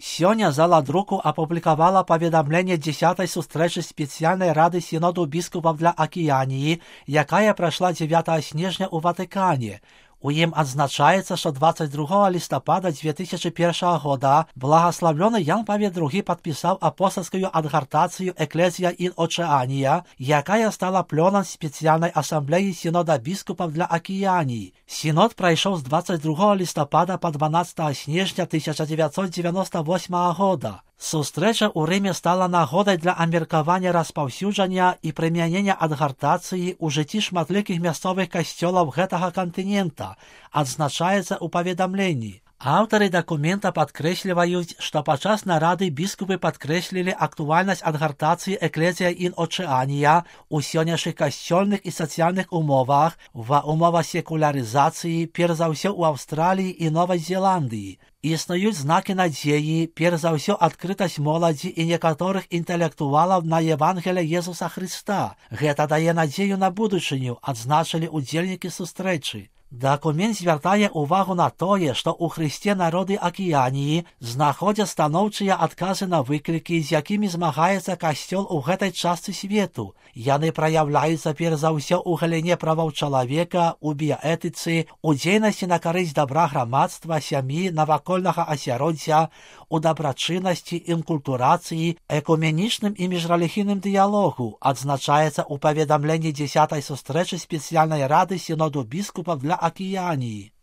Сёння зала друку апублікавала паведамленне 10-й сустрэчы спецыяльнай рады сіноду біскупаў для Акіяніі, якая прайшла 9 снежня ў Ватыкане. У ім адзначаецца, што 22 лістапада 2001 года благаславлёны Ян Павел II падпісаў апостальскую адгартацыю «Экклезія ін Очеанія», якая стала плёнам спецыяльнай асамблеі сінода біскупаў для Акіяніі. Сінод прайшоў з 22 лістапада па 12 снежня 1998 года. Сустрэча ў Рыме стала нагодай для абмеркавання распаўсюджання і прымянення адгартацыі ў жыцці шматлікіх мясцовых касцёлаў гэтага кантынента, адзначаецца ў паведамленні. Аўтары дакумента падкрэсліваюць, што падчас нарады біскупы падкрэслілі актуальнасць адгартацыі «Экклезія ін Очеанія» у сённяшніх касцёльных і сацыяльных умовах, ва умовах секулярызацыі, перш за ўсё ў Аўстраліі і Новай Зеландыі. Існуюць знакі надзеі, перш за ўсё адкрытасць моладзі і некаторых інтэлектуалаў на Евангелие Езуса Хрыста. Гэта дае надзею на будучыню, адзначылі ўдзельнікі сустрэчы. Дакумент звяртае ўвагу на тое, што ў Хрысце народы Акіяніі знаходзяць станоўчыя адказы на выклікі, з якімі змагаецца касцёл у гэтай частцы свету. Яны праяўляюцца перш за ўсё ў галіне правоў чалавека, у біяэтыцы, у дзейнасці на карысць дабра грамадства, сям'і, навакольнага асяроддзя, у дабрачыннасці, інкультурацыі, экуменічным і міжрэлігійным дыялогу, адзначаецца ў паведамленні 10-й сустрэчы спецыяльнай рады сіноду біскупаў для Акіяніі.